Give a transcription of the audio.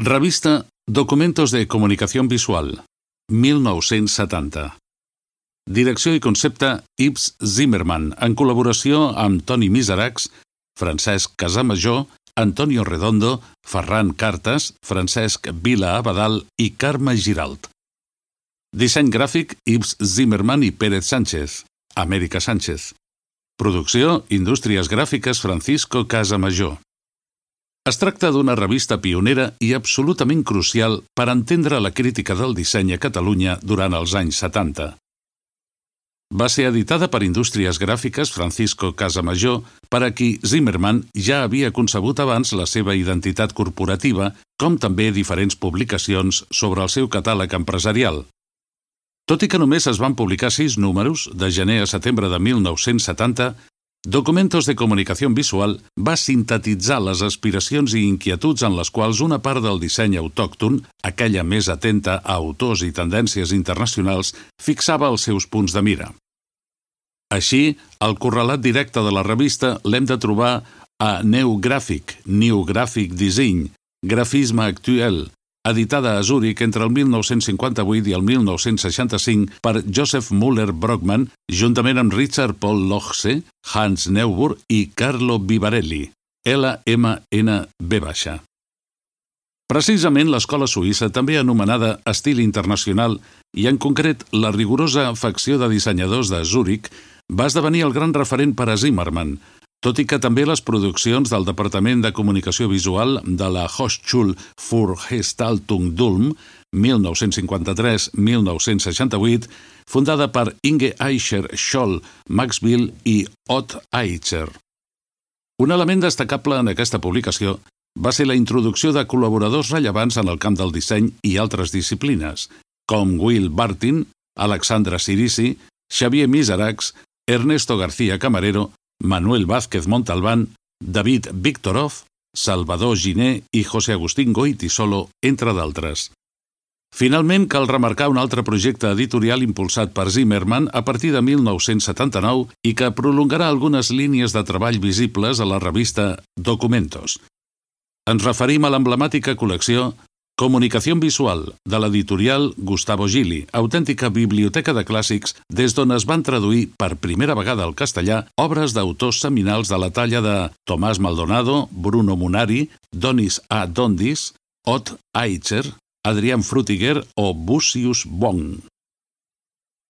Revista Documentos de Comunicación Visual, 1970. Direcció i concepte Yves Zimmermann, en col·laboració amb Toni Miseracs, Francesc Casamajor, Antonio Redondo, Ferran Cartes, Francesc Vila Abadal i Carme Giralt. Disseny gràfic Yves Zimmermann i Pérez Sánchez, Amèrica Sánchez. Producció Indústries Gràfiques Francisco Casamajor. Es tracta d'una revista pionera i absolutament crucial per entendre la crítica del disseny a Catalunya durant els anys 70. Va ser editada per Indústries Gràfiques Francisco Casamajor, per a qui Zimmermann ja havia concebut abans la seva identitat corporativa, com també diferents publicacions sobre el seu catàleg empresarial. Tot i que només es van publicar 6 números, de gener a setembre de 1970, Documentos de Comunicación Visual va sintetitzar les aspiracions i inquietuds en les quals una part del disseny autòcton, aquella més atenta a autors i tendències internacionals, fixava els seus punts de mira. Així, el correlat directe de la revista l'hem de trobar a New Graphic Design, Grafisme Actuel, editada a Zúrich entre el 1958 i el 1965 per Joseph Müller-Brockmann, juntament amb Richard Paul Lochse, Hans Neuburg i Carlo Vivarelli, LMNB. Precisament l'escola suïssa, també anomenada Estil Internacional, i en concret la rigorosa facció de dissenyadors de Zúrich, va esdevenir el gran referent per a Zimmermann, tot i que també les produccions del Departament de Comunicació Visual de la Hochschule für Gestaltung d'Ulm, 1953-1968, fundada per Inge Eicher, Scholl, Max Bill i Ott Eicher. Un element destacable en aquesta publicació va ser la introducció de col·laboradors rellevants en el camp del disseny i altres disciplines, com Will Bartin, Alexandra Sirisi, Xavier Miseracs, Ernesto García Camarero, Manuel Vázquez Montalbán, David Viktorov, Salvador Giné i José Agustín Goytisolo, entre d'altres. Finalment, cal remarcar un altre projecte editorial impulsat per Zimmermann a partir de 1979 i que prolongarà algunes línies de treball visibles a la revista Documentos. Ens referim a l'emblemàtica col·lecció Comunicación Visual, de l'editorial Gustavo Gili, autèntica biblioteca de clàssics des d'on es van traduir per primera vegada al castellà obres d'autors seminals de la talla de Tomás Maldonado, Bruno Munari, Donis A. Dondis, Ott Eicher, Adrián Frutiger o Busius Bong.